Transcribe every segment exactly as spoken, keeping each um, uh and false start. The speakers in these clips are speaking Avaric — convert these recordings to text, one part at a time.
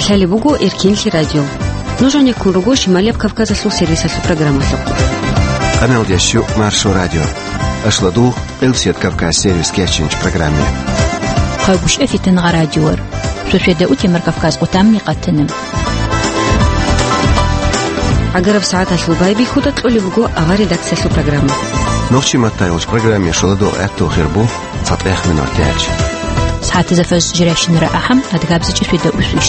Лъалеб буго Эркенлъи радио. Нуж гьанеккун руго Шималияб Кавказалъул сервисалъул программалъухъ. Къаналдящу Маршо радио. Ашладугъ Элсият Кавказ сервис кечинч программе. Хъагушев Фитангъа радиор. Сосведа утемар Кавказ къутамни къатана. ГӀагараб сагӀаталъул байбихьуда кьолеб буго авар редакциялъул программа. Нохчи маттайолч программе шоладо гӀатту хирбу цатӀех минор тяч. СагӀатаза фаз жиращинара ахӀам адгабзачӀи сосведа усвищ.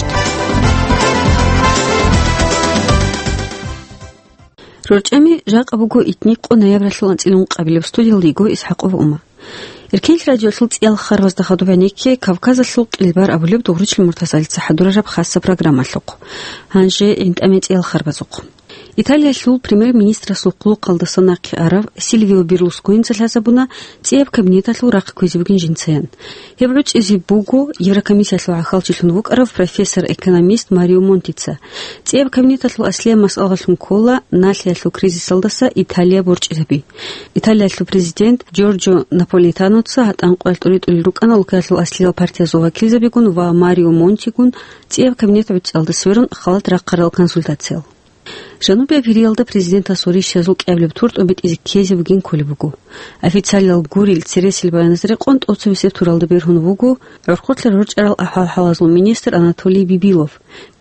РорчӀами жакъа буго итни къо ноябралъул анцӀила ункъабилеб. Студиялда йиго ИсхӀакъова Ума. Эркенлъи радиолъул цӀиял харбазда хадуб гьанекке Кавказалъул кьилбар абулеб Дугъручил Муртазалица хӀадурараб хасса программалъухъ. Гьанже гӀинтӀаме цӀиял харбазухъ. Италиялъул премьер-министрасул хъулухъалдаса нахъе арав Сильвио Берлусконица лъазабуна цӀияб кабинеталъул рахъ кквезе бугин жинцаян. Гьеб гӀуцӀизе буго Еврокомиссиялъул гӀахьалчилъун вукӀарав профессор-экономист Марио Монтица. ЦӀияб кабинеталъул аслияб масъалалъун ккола налъиялъул кризисалдаса Италия борчӀизаби. Италиялъул президент Джорджо Наполитаноца гьатӀан къоялъ тӀуритӀулел рукӀана улкаялъул аслиял партиязул вакилзабигун ва Марио Монтигун цӀияб кабинет гӀуцӀиялда сверун халат рахъарал консультациял. Жанубияб Гьириялда президентасул ришшазул кӀиабилеб тур тӀобитӀизе ккезе бугин кколеб буго. Официалиял гурел цересел баяназ рекъон тӀоцебесеб туралда бергьун вуго гӀурхъулъа рорчӀарал ахӀвал-хӀалазул министр Анатолий Бибилов.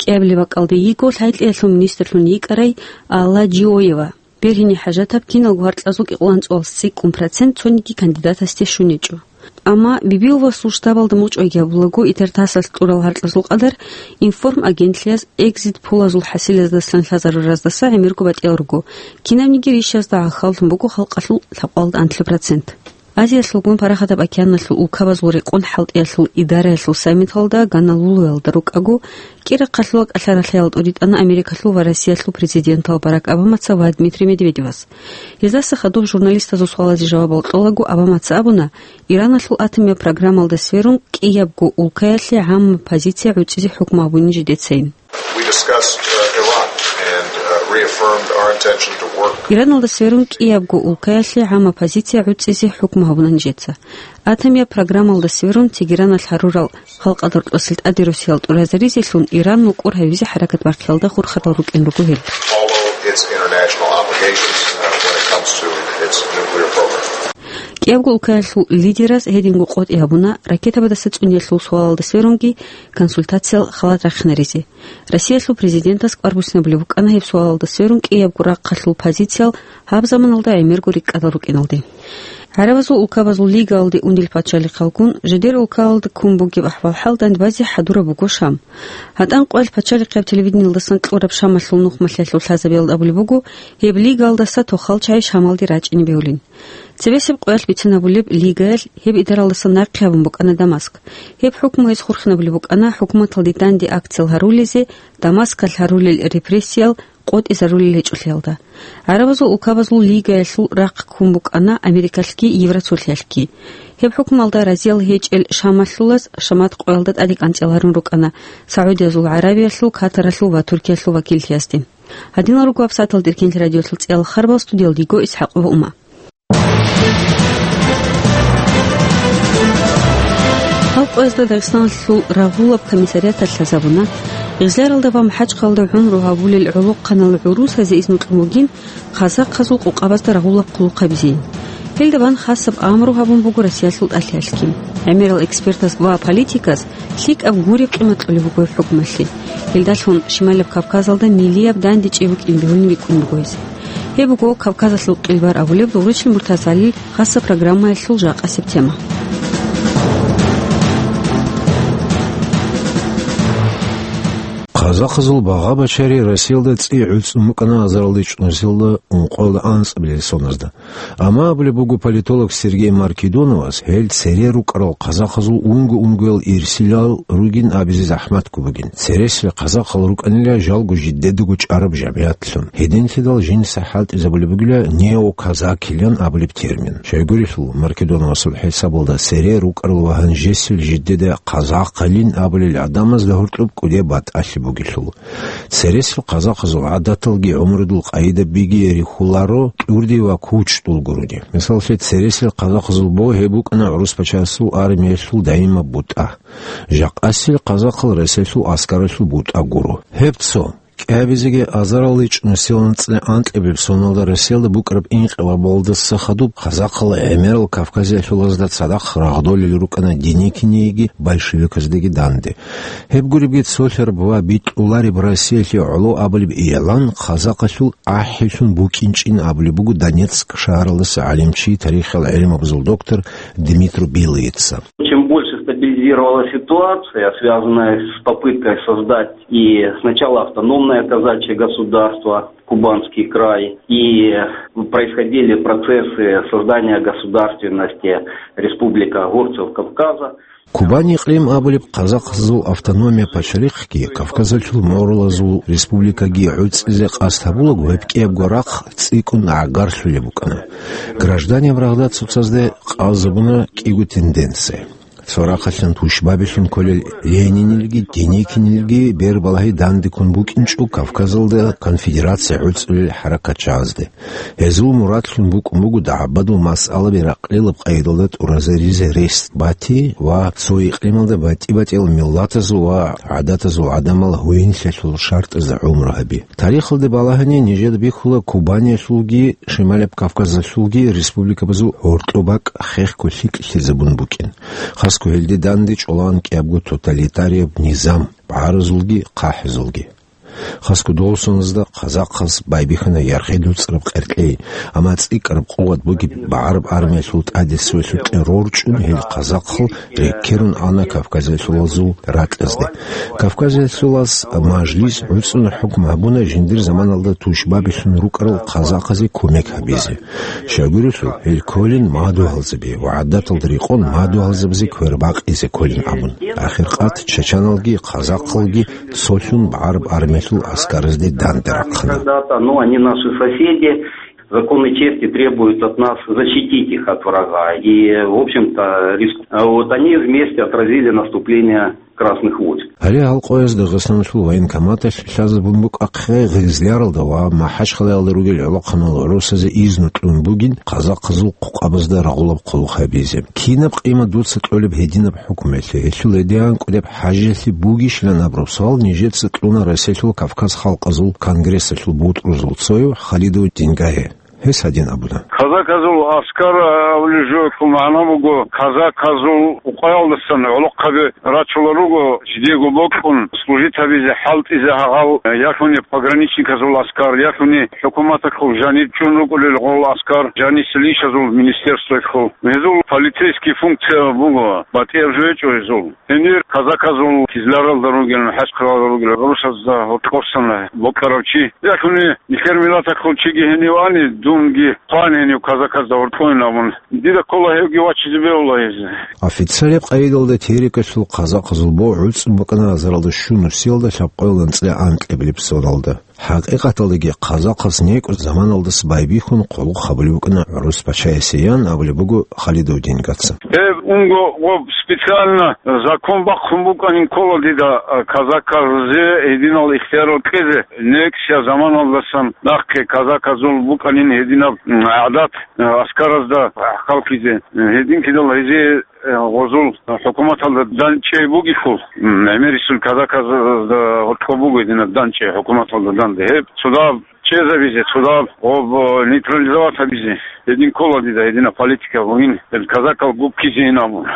КӀиабилеб бакӀалде йиго лъай-кьеялъул министрлъун йикӀарай Алла Джиоева. Бергьине хӀажатаб киналго гьаркьазул кӀикъоялда анцӀго цӀикӀкӀун процент цониги кандидатасде щун гьечӀо. Амма Бибиловасул штабалда мугъчӀвайги гьабулаго, ИТР-ТАССалъ кьурал гьаркьазул къадар информагентлъиялъ экзит-полазул хӀасилаздасан лъазаруралдаса гӀемерго батӀиял руго, кинабниги ришшазда гӀахьаллъун буго халкъалъул лъабкъоялда анлъго процент. Азиялъулгун Парахатаб океаналъул улкабазул рекъон хӀалтӀиялъул идараялъул саммиталда Гонолулуялда рукӀаго, кӀира хъалъула кӀалъа-ралъаял тӀуритӀана Америкалъул ва Россиялъул президентал Барак Обамаца ва Дмитрий Медведевас. Гьездаса хадуб журналистазул суалазе жавабал кьолаго, Обамаца абуна, Ираналъул атомияб программалда сверун кӀиябго улкаялъе гӀамма позиция гӀуцӀизе хӀукму гьабунин жидецайин. We discussed, uh, Iran and, uh, reaffirmed our intention to work. Ираналда сверун кӀиябго улкаялъе гӀамма позиция гӀуцӀизе хӀукму гьабуна нижеца. Атомияб программалда сверун Тегераналъ гьарурал халкъалда рокьосел тӀаде росиял тӀуразаризелъун Иран нукъур гьавизе хӀаракат бахъиялда хурхарал рукӀин руго гьел. Follow its international obligations, uh, when it comes to its nuclear program. КӀиябго улкаялъул лидераз гьединго къотӀи гьабуна ракетабадаса цӀуниялъул суалалда сверунги консультациял халат рахъинаризе. Россиялъул президентас кӀвар буссинабулеб букӀана гьеб суалалда сверун кӀиябго рахъалъул позициял гьаб заманалда гӀемерго рикӀкӀадал рукӀиналде. ГӀарабазул улкабазул лигаялде унел пачалихъалгун, жидер улкаялда ккун бугеб ахӀвал-хӀал дандбазе хӀадураб буго Шам. ГьатӀан къоялъ пачалихъияб телевидениялдасан кьураб Шамалъул нухмалъиялъул лъазабиялда абулеб буго, гьеб лигаялдаса тохал чагӀи Шамалде рачӀине бегьулин. Цебесеб къоялъ бицинабулеб, лигаялъ гьеб идаралдаса нахъе гьабун букӀана Дамаск. Гьеб хӀукму гьез хурхинабулеб букӀана хӀукуматалде данде акциял гьарулезе, Дамаскалъ гьарулел репрессиял къотӀизарулел гьечӀолъиялда. ГӀарабазул улкабазул лигаялъул рахъ ккун букӀана Америкалъги Евросулъиялъги. Гьеб хӀукмуялда разиял гьечӀел Шамалъулаз Шамат къоялда тӀаде кӀанцӀияларун рукӀана СагӀудиязул ГӀарабиялъул, Катаралъул ва Туркиялъул вакиллъиязде. Гьадинал руго гьабсагӀаталда Эркенлъи радиолъул цӀиялъул харбал, студиялда йиго ИсхӀакъова Ума. Гьал къоязда Дагъистаналъул рагъулаб комиссариаталъ лъазабуна, Гъизляралда ва МахӀачхъалда гӀумру гьабулел гӀолохъанал гӀурусазе изну кьун бугин казахъазул къокъабазда рагъулаб хъулухъ гьабизейин. Гьелда бан хасаб амру гьабун буго Россиялъул тӀалъиялъги. ГӀемерал экспертаз ва политиказ лъикӀаб гуреб къимат кьолеб буго гьеб хӀукумалъе. Гьелдалъун Шималаб Кавказалда миллияб дандечӀи букӀин бегьулин рикӀкӀун буго гьез. Гьеб буго Кавказалъул къилбар абулеб Дугъручил Муртазалил хасаб программаялъул жакъасеб тема. Казахъазул багъа-бачари Россиялда цӀи гӀуцӀун букӀана азаралда чӀунусиялда ункъоялда анцӀабилел соназда. Амма абулеб буго политолог Сергей Маркедоновас, гьел цере рукӀарал казахъазул унго-унгоял ирсилал ругин абизе захӀматго бугин. Цересел казахъал рукӀанила жалго жидедаго чӀараб жамигӀатлъун. Гьединлъидал жинца хӀалтӀизабулеб бугила неоказакилан абулеб термин. Щайгурелъул, Маркедоновасул хӀисабалда цере рукӀарал ва гьанжесел жидеда казахъалин абулел гӀадамазда гьоркьоб кӀудияб батӀалъи буго. гилъул. Цересел казахъазул гӀадаталги гӀумрудул къайдабиги рихьуларо тӀурди ва кучдул гурони. Мисаллъи, цересел казахъазул бо гьеб букӀана гӀурус-пачалъул армиялъул даимаб бутӀа. Жакъасел казахъал Россиялъул аскаралъул бутӀа гуро. Гьеб цо. КӀиабизеги азаралда чӀунусиялда анцӀила анкьабилеб соналда Россиялда букӀараб инкъилабалдаса хадуб казахъал гӀемерал кавказиялъулазда цадахъ рагъдолел рукӀана Деникинеги большевиказдаги данде. Гьеб гуребги цолъараб ва битӀулареб Россиялъе гӀоло абулеб игӀлан казахъалъул ахӀилъун букӀинчӀин абулеб буго Донецк шагьаралдаса гӀалимчи, тарихал гӀелмабазул доктор Дмитрий Белыйца. Чем больше стабилизировалась ситуация, связанная с попыткой создать и сначала автономное казачье государство, Кубанский край, и происходили процессы создания государственности Республика Горцев Кавказа. Кубань икълим абулеб казахъазул автономия пачалихъги Кавказалъул мугӀрулазул республикаги гӀуцӀизе къасд гьабулаго, гьеб кӀиябго рахъ цӀикӀкӀун гӀагарлъулеб букӀана. Гражданин рагъда цоцазде къазабуна кӀиго тенденция. Цо рахъалъан тушбабилъун кколел Ленинилги Деникинилги бербалагьи дандеккун букӀинчӀо Кавказалда конфедерация гӀуцӀулел хӀаракатчагӀазде. Гьезул мурадлъун букӀун буго дагӀбадул масъалаби ракълилаб къайдалда тӀуразаризе рес бати ва цо икълималда батӀи-батӀиял миллатазул ва гӀадатазул гӀадамал гьуинлъалъул шартӀазда гӀумру гьаби. Тарихалда балагьани, нижеда бихьула Кубаниялъулги Шималаб Кавказалъулги республикабазул гьоркьоб бакӀ хехго лъикӀлъизабун букӀин. Хасго гьелде данде чӀолаан кӀиябго тоталитарияб низам, багӀаразулги хъахӀазулги. Хасго дол соназда казахъаз байбихьана ярхъи дуцӀараб къеркьей, амма цӀикӀкӀараб къуват бугеб багӀараб армиялъул тӀаде цоялъул кье рорчӀун гьел казахъал рекерун ана Кавказалъулазул ракьазде. Кавказалъулаз мажлис гӀуцӀун хӀукму гьабуна жиндир заманалда тушбабилъун рукӀарал казахъазе кумек гьабизе. Щайгурелъул, гьел кколин мадугьалзаби ва гӀадаталда рекъон мадугьалзабазе квербакъизе кколин абун. Ахиркъат чачаналги казахъалги цолъун багӀараб армиялъул аскаразде данде рахъана. Когда-то, ну, они наши соседи, законы чести требуют от нас защитить их от врага. И, в общем-то, риск-, а вот они вместе отразили наступление красных войск. Гьале гьал къоязда Дагъистаналъул военкоматалъ лъазабун букӀахъе, Гъизляралда ва МахӀачхъалаялда ругел гӀолохъанал гӀурусазе изну кьун бугин казахъазул хъукъабазда рагъулаб хъулухъ гьабизе. Кинаб къимат дуца кьолеб гьединаб хӀукмуялъе, гьелъул гьедин кӀудеб хӀажиялъе бугищилан абураб суал нижеца кьуна Россиялъул Кавказ халкъазул конгрессалъул бутӀрузул цояв Халидов Дингае. Гьес гьадин абуна. Казаказул аскар, а, абулеб жоялъул магӀна буго, казаказул къукъаялдасан гӀолохъаби рачулел руго, жидего бокьун служить гьабизе, хӀалтӀизе гьагъал, ялъуни пограничниказул аскар, ялъуни хӀукуматалъул жанир чӀун рукӀулел гъол аскар, жанисел ишазул министерствоялъул. Гьезул полицейский функция буго, батӀияб жо гьечӀо гьезул. Гьенир казаказул Кизляралда ругел, МахӀачхъалаялда ругел, гӀурусазда гьоркьосан бокьарав чи. Яхуни нилъер миллаталъул чиги гьенив ани, дунги хъван гьенив казаказда гьоркьойин абун. Дида ккола гьевги вачизе бегьула гьез. Официалаб къайдалда терикалъул казахъазул бо гӀуцӀун букӀана азаралда щунусиялда лъабкъоялда анцӀила анкьабилеб соналда. ХӀакъикъаталдаги, казахъаз некӀун заманалдаса байбихьун хъулухъ гьабулеб букӀана гӀурус пачаясе, ян абулеб буго Халидов Дингаца. Гьеб унго гъоб специально закон бахъун букӀанин ккола дида, а, казахъазе гьединал ихтиярал кьезе, некӀсия заманалдасан нахъе казахъазул букӀанин гьединаб, м, гӀадат, а, аскаразда халкъизе. Гьедин кидал гьезие гъозул хӀукуматалда данчӀей бугелъул, м, гӀемерисел казахъазда гьоркьоб буго гьединаб данчӀей хӀукуматалда данде. Гьеб цодаб чӀезабизе, цодаб гъоб нейтрализовать гьабизе гьедин ккола дида, гьединаб политика бугин, гьел казахъал гуккизейин абун.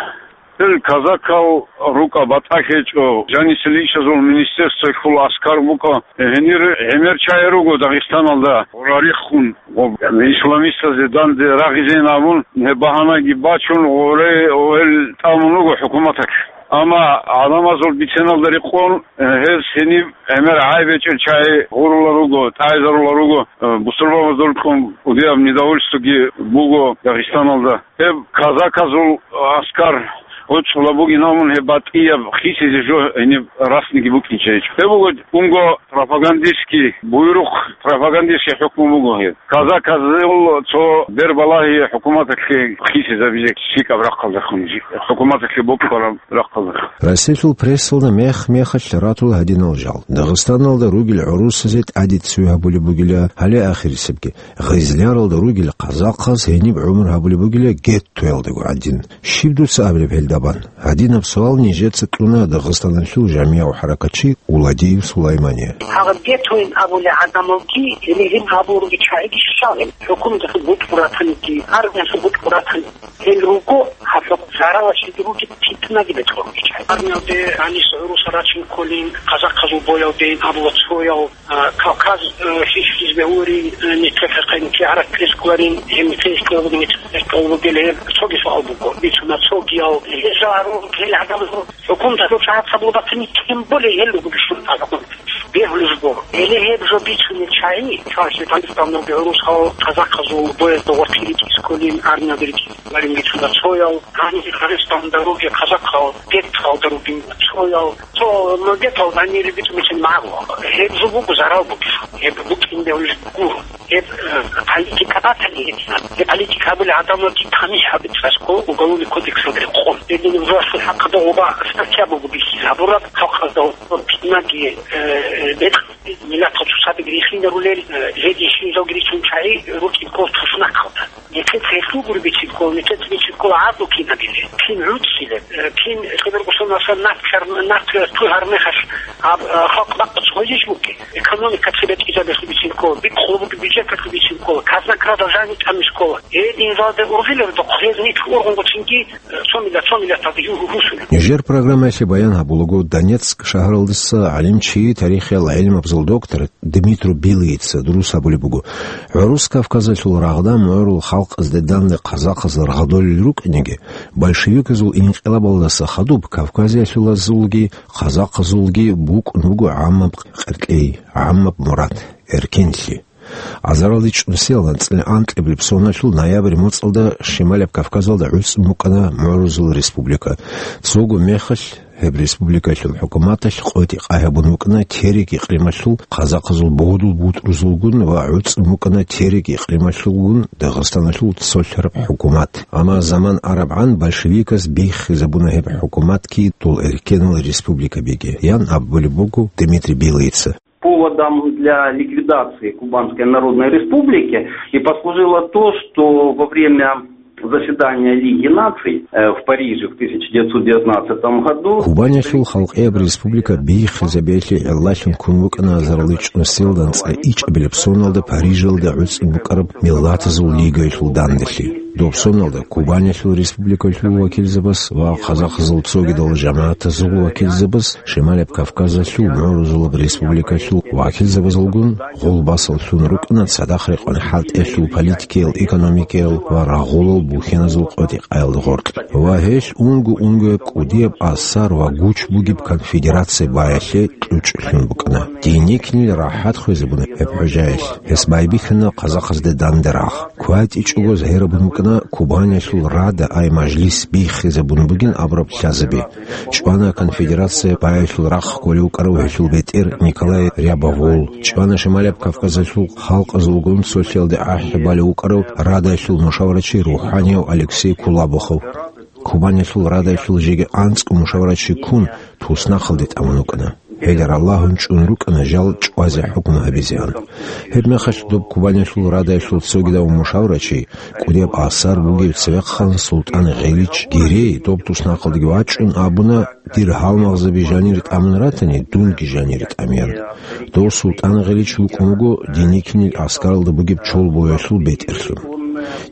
Гьел казахъал рукӀа батӀа гьечӀо, жанисел ишазул министерствоялъул аскар букӀа, гьенир гӀемер чагӀи руго Дагъистаналда гъорарихъун. Ва исламистазе данде рагъизейин абун, гьеб багьанаги бачун, гъоре, гьел тӀамун руго хӀукуматалъ. Амма гӀадамазул биценалда рекъон, гьез гьениб гӀемер гӀайбечӀел чагӀи гъурула руго, тӀайзарула руго, бусурбабазда рукъун кӀудияб недовольствоги буго Дагъистаналда. Гьеб казаказул аскар БучӀула бугин гьамун гьеб батӀияб хисизе жо гьениб расниги букӀинчӀейчӀо. Гьеб буго унго пропагандистский буйрухъ, пропагандистский хӀукму буго гьеб. Казаказул цо бербалагьи хӀукуматалъе хисизабизе лъикӀаб рахъалдехун, хӀукуматалъе бокьараб рахъалдехун. Россиялъул прессалда мех-мехалъ ратула гьадинал жал. Дагъистаналда ругел гӀурусазе тӀаде цеве гьабулеб бугила, гьале ахирисебги. Гъизляралда ругел къазахъаз гьениб гӀумру гьабулеб бугила геттоялдаго гӀадин. Щиб дуца абилеб гьелдабан? Гьадинаб суал нижеца кьуна Дагъистаналъул жамигӀав хӀаракатчи Уладиев Сулаймание. Гьаб геттоян абулел гӀадамалги гьеле гьеб гьабулел ругел чагӀиги щалел. ХӀукуматалъул бутӀрул ратаниги, армиялъул бутӀрул ратаниги. Гьел руго гьаб жо заралалъе ругел питнаги бетӀер ругел чагӀи. Армиялде гьанис гӀурусал рачин кколин, къазахъазул боялдейин абула цоял, а, Кавказ, э, хихьизе гьурин, э, нилъер хӀехъе нилъер гӀарак кьезе кколарин, гьеб нилъее кколаб, нилъее кколаб гьел, цоги суал буго. Бицуна цогиял, гьеза гьарун гьел гӀадамазул хӀукуматалъул чагӀаца буго батани, тем более гьел руго бищун гӀадамал. Бегьулеб жо. Гьеле гьеб жо бицунел чагӀи, чвазе Дагъистаналги гӀурусал, къазахъазул боязда гъоркье ритӀизе кколин, армиялде ритӀизе кколарин бицуна цоял, гьанир Дагъистаналда ругел къазахъал, геттоялда ругин цоял, цо, ну, геттоялда гьанир бицунеб магӀна. Гьеб жо буго зарал бугеб. Гьеб букӀине гьулеб гуро. Гьеб, э, политика батани гьединаб. Гьеб политика гьабулел гӀадамалги тамихӀ гьабе цӀакъго Уголовный кодексалда рекъон. Гьединаб жоялъул хӀакъалда гъоба статья буго бихьизабураб, халкъалда гъоба питнаги, э, бетӀер, миллатал цоцаздаги рихинарулел, э, гьедин щиназулги рицун чагӀи рукӀин ккола туснахъалда. Нилъеца гьелъул гуро бицин ккола, нилъеца бицин ккола гӀадлу кинабилеб, кин гӀуцӀцӀилеб, э, кин лъеберго соналъ нахъ гьар-, нахъ туй гьармехалъ гьаб, э, халкъ бакъ цӀугьизищ бугеб. Экономика цебетӀизабиялъул бицин ккола, бикъулеб бугеб бюджеталъул бицин ккола, казна крадал жаниб тӀамизе ккола. Гьединзалде ургъилел рукъ гьез нилъ ургъун гъоцинги, э, цо миллат, цо миллаталда гьу-, гьу-, гьусулеб. Нижер программаялъе баян гьабулаго, Донецк шагьаралдаса гӀалимчи, тарихиял гӀелмабазул доктор Дмитрий Билыйица дурус гьабулеб буго, гӀурус Кавказалъул рагъда мугӀрул халкъазде данде къазахъаз рагъдолел рукӀинеги, большевиказул инкъилабалдаса хадуб кавказиялъулазулги къазахъазулги букӀун буго гӀаммаб къеркьей, гӀаммаб мурад, эркенлъи. Азаралде чӀунсиялда анцӀила анкьабилеб соналъул ноябрь моцӀалда Шималияб Кавказалда гӀуцӀун букӀана мугӀрузул республика. Цого мехалъ гьеб республикалъул хӀукуматалъ къотӀи-къай гьабун букӀана Терек икълималъул къазахъазул бодул бутӀрузулгун ва гӀуцӀун букӀана Терек икълималъулгун Дагъистаналъул цолъараб хӀукумат. Амма заман арабгӀан большевиказ биххизабуна гьеб хӀукуматги дол эркенал республикабиги, ян абулеб буго Дмитрий Билыйица. Поводом для ликвидации Кубанской Народной Республики и послужило то, что во время заседания Лиги наций, э, в Париже в тысяча девятьсот девятнадцатом году Кубанилъул халкъияб республика биххизабиялъе гӀиллалъун ккун букӀана азаралде чӀунсиялда анцӀила ичӀабилеб соналда Парижалда гӀуцӀун букӀараб Миллатазул лигаялъул данделъи. Доб соналда Кубанилъул республикалъул вакилзабаз ва къазахъазул цогидал жамагӀатазул вакилзабаз Шималияб Кавказалъул мугӀрузулаб республикалъул вакилзабазулгун гъулбасаллъун рукӀана цадахъ рекъон хӀалтӀиялъул, политикиял, экономикиял ва рагъулал бухьаназул къотӀи-къаялда гъоркь. Ва гьелъ унго-унгояб кӀудияб асар ва гуч бугеб конфедерация баялъе кьучӀлъун букӀана. Деникинил рахӀат хвезабуна гьеб гӀужаялъ. Гьес байбихьана къазахъазде данде рагъ. КвайтӀичӀого загьирабун букӀана Кубанилъул Рада ай мажлис биххизабун бугин абураб лъазаби. ЧӀвана конфедерация баялъул рахъ кколев вукӀарав гьелъул бетӀер Николай Рябовол, чӀвана Шималияб Кавказалъул халкъазулгун цолъиялде ахӀи балев вукӀарав Радалъул мушаварачи рухӀанияв Алексей Кулабухов. Кубанилъул Радалъул жеги анцӀго мушаварачи ккун, туснахъалде тӀамун вукӀана. Гьеле ралагьун чӀун рукӀана жал чӀвазе хӀукму гьабизегӀан. Гьебмехалъ доб Кубанилъул Радалъул цогидав мушаварачи, кӀудияб асар бугев цевехъан СултӀан Гъилич Гирей доб туснахъалдеги вачӀун абуна: «Дир гьалмагъзаби жанир тӀамун ратани, дунги жанир тӀамеян». Дов СултӀан Гъилич вукӀун вуго Деникинил аскаралда бугеб чолбоялъул бетӀерлъун.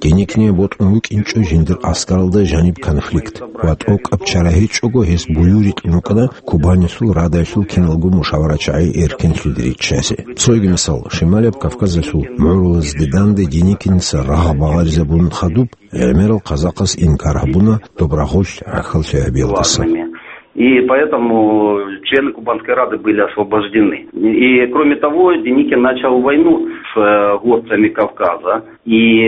Деникине бокьун вукӀинчӀо жиндир аскаралда жаниб конфликт ва тӀокӀаб чара гьечӀого гьес буюрикьун вукӀана Кубанилъул Радалъул киналго мушаварачагӀи эркенлъиде риччазе. Цоги мисал, Шималияб Кавказалъул мугӀрулазде данде Деникиница рагъ багъаризабун хадуб, гӀемерал къазахъас инкар гьабуна доб рагъулъ гӀахьаллъи гьабиялдаса. И поэтому члены Кубанской Рады были освобождены. И, кроме того, Деникин начал войну. э, горцами Кавказа. И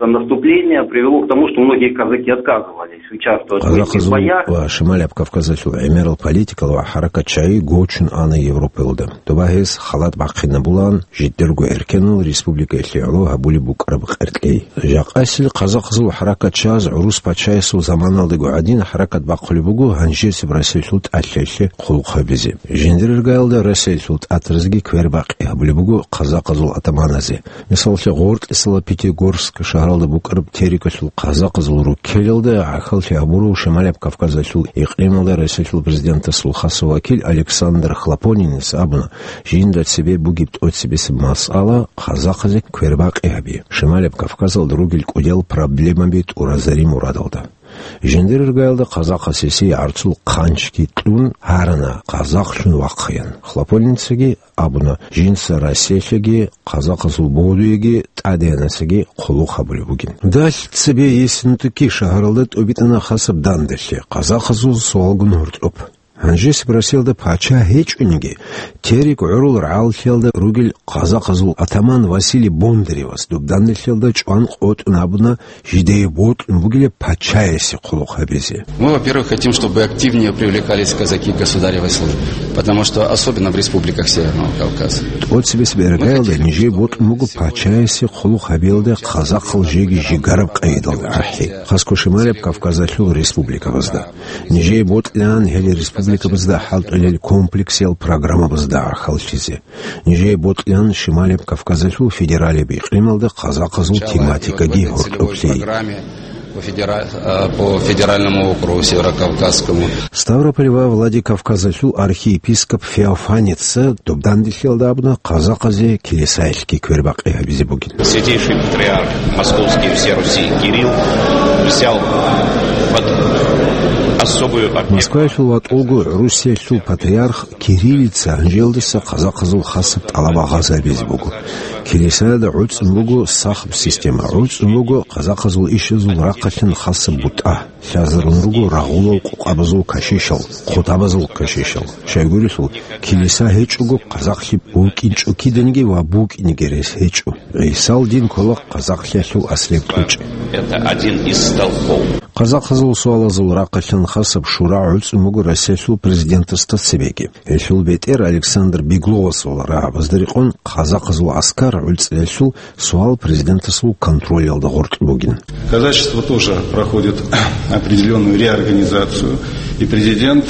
это наступление привело к тому, что многие казаки отказывались участвовать в этих Къазахъазул боях. Ва Шималияб Кавказалъул гӀемерал политикал ва хӀаракат чагӀи гочун ана Европаялда. Доба гьез халат бахъинабулаан жидерго эркенал республикаялъе гӀоло гьабулеб букӀараб къеркьей. Жакъасил къазахъазул хӀаракат чагӀаз гӀурус пачаясул заманалдаго гӀадин хӀаракат бахъулеб буго гьанжесеб Россиялъул тӀалъаялъе хъулухъ гьабизе. Жиндир иргаялда Россиялъул тӀатразеги квербакъи гьабулеб буго къазахъазул атаманазе. Мисалалъе, гъоркьисала Пятигорск шагьаралда букӀараб Терекалъул къазахъазул руккелалда гӀахьаллъи гьабурав Шималияб Кавказалъул икълималда Россиялъул президентасул хасав вакил Александр Хлопонинец абуна, жинда цебе бугеб тӀоцебесеб масъала къазахъазе квербакъи гьаби, Шималияб Кавказалда ругел кӀудиял проблемаби тӀуразари мурадалда. Жиндир иргаялда къазахъас гьесие гӀарцул хъанчги кьун гьарана, къазахълъун вахъаян. Хлопонинцаги абуна, жинца Россиялъеги къазахъазул бодуеги тӀадеянасаги хъулухъ гьабулеб бугин. Далъ цебе Ессентуки шагьаралда тӀубитӀана хасаб данделъи, къазахъазул суалгун гьоркьоб. Гьанжесеб Россиялда пача гьечӀониги, Терек гӀурул рагӀаллъиялда ругел къазахъазул атаман Василий Бондаревас доб данделъиялда чӀван къотӀун абуна, жидее бокьун бугилеб пачаясе хъулухъ гьабизе. Мы, во-первых, хотим, чтобы активнее привлекались казаки к государевой службе, потому что особенно в республиках Северного Кавказа. ТӀоцебесеб иргаялда нижее бокьун буго пачаясе хъулухъ гьабиялда къазахъал жеги жигараб къайдалда ахӀи, хасго Шималияб Кавказалъул республикабазда. Нижее бокьилаан гьел республикабазда хӀалтӀулел комплексиял программабазда гӀахьаллъизе. Нижее бокьилаан Шималияб Кавказалъул федералияб икълималда къазахъазул тематикаги гьоркьоб лъей. По федера-, э, по федеральному округу Северокавказскому. Ставрополь ва Владикавказалъул архиепископ Феофаница доб данделъиялда абуна къазахъазе килисаялъги квербакъи гьабизе бугин. Святейший патриарх Московский и всей Руси Кирилл взял под особую опеку. Москваялъул ватӀулго Русиялъул патриарх Кириллица гьанжелдаса къазахъазул хасаб тӀалаб гьабизе буго. Килисаялда гӀуцӀун буго сахаб система, гӀуцӀун буго къазахъазул ишазул рахъалъан хасаб бутӀа. Лъазарун руго рагъулал къукъабазул кашишал, хъутабазул кашишал. Щайгурелъул, килиса гьечӀого, къазахълъи букӀинчӀо киданиги ва букӀинеги рес гьечӀо. ГӀисал дин ккола къазахълъиялъул аслияб кьучӀ. Это один из столпов. Къазахъазул суалазул рахъалъан хасаб шура гӀуцӀун буго Россиялъул президентасда цебеги. Гьелъул бетӀер Александр Бегловасул рагӀабазда рекъон къазахъазул аскар гӀуцӀиялъул суал президентасул контролялда гъоркь бугин. Казачество тоже проходит определённую реорганизацию, и президент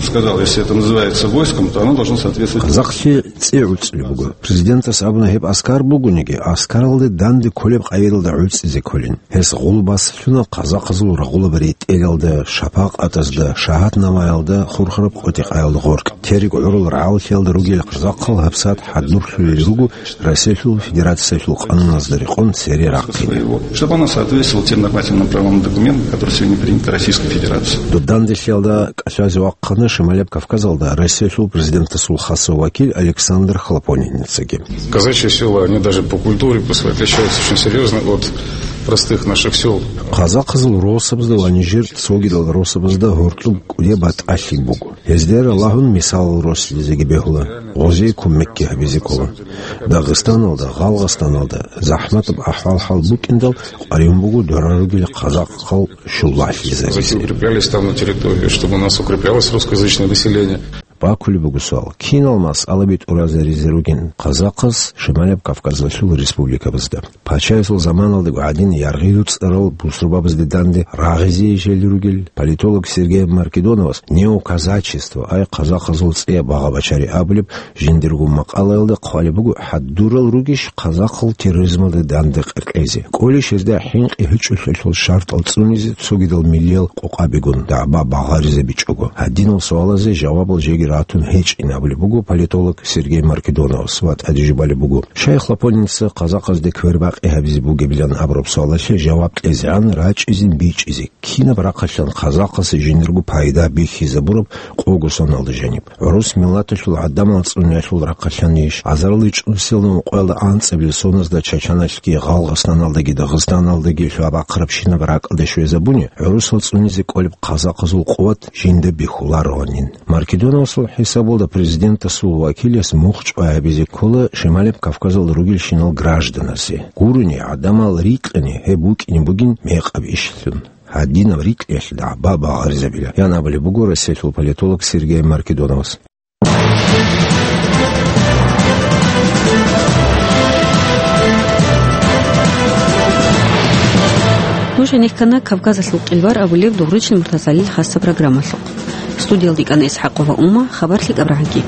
сказал, если это называется войском, то оно должно соответствовать. Къазахълъи цӀи гӀуцӀулеб буго. Президентас абуна, гьеб аскар бугониги, аскаралде данде кколеб къайдалда гӀуцӀизе кколин. Гьес гъулбас лъуна къазахъазул рагъулаб ретӀелалда, шапакъатазда, шагьатнамаялда, хурхараб къотӀи-къаялда гъоркь. Терек гӀурул рагӀаллъиялда ругел къазахъал гьабсагӀат хӀадурлъулел руго Россиялъул Федерациялъул къануназда рекъон цере рахъине. Чтобы она соответствовала тем нормативным правовым документам, которые сегодня приняты Российской Федерацией. Доб данделъиялда кӀалъазе вахъана Шималияб Кавказалда Россиялъул президентасул хасав вакил Александр Хлопонинецаги. Казачьи села, они даже по культуре, по своей отличаются очень серьёзно от простых наших сёл. Къазахъазул росабазда ва нижер цогидал росабазда гьоркьоб кӀудияб батӀалъи буго. Гьезде ралагьун мисалал росизеги бегьула, гъозие кумекги гьабизе ккола. Дагъистаналда, Гъалгъасданалда захӀматаб ахӀвал-хӀал букӀиндал къваригӀун буго дора ругел къазахъал Казаки щулбагьлъизабизе. Укреплялись там на территории, чтобы у нас укреплялось русскоязычное население. Бакулеб буго суал, кинал масъалаби тӀуразаризе ругин къазахъас Шималияб Кавказалъул республикабазда. Пачаясул заманалдаго гӀадин яргъи-руцӀарал бусурбабазде данде рагъизе ижели ругел политолог Сергей Маркедоновас неоказачество, ай къазахъазул цӀияб багъа-бачари абулеб жиндирго макъалаялда хъвалеб буго, хӀадурал ругищ къазахъал терроризмалда данде къеркьезе? КӀолищ гьезда хӀинкъи гьечӀолъиялъул шартӀал цӀунизе цогидал миллиял къокъабигун дагӀба багъаризабичӀого? Гьадинал суалазе жавабал жеги ратун гьечӀин абулеб буго политолог Сергей Маркедоновас ва тӀаде жубалеб буго, Шайх Лапоница къазахъазде квербакъи гьабизе бугебилан абураб суалалъе жаваб кьезегӀан рачӀизе бичӀчӀизе, кинаб рахъалъан къазахъасе жиндирго пайда бихьизабураб къого соналда жаниб. ГӀурус миллаталъул гӀадамал цӀуниялъул рахъалъанищ, азарилчӀунсилан ункъоялда анцӀабилеб соназда Чачаналъги, Гъалгъасданалдаги, Дагъистаналдаги лъугьа-бахъарабщинаб ракӀалде щвезабуни, гӀурусал цӀунизе кӀолеб къазахъазул къуват жинда бихьулароанин. Маркедоновас ХӀисабалда президентасул вакилас мухъ чӀвай гьабизе ккола Шималаб Кавказалда ругелщинал гражданасе. Гурони гӀадамал рикьани гьеб букӀине бугин мекъаб ишлъун. Гьадинаб рикьиялъ дагӀба багъаризабила, ян абулеб буго россиялъул политолог Сергей Маркедоновас. Нуж гьенеккана Кавказалъул къилбар абулеб Дугъричил МуртазгӀалил хасаб программалъухъ. Студиялда йикӀана ИсхӀакъова Ума, хабар лъикӀаб рагӀанги.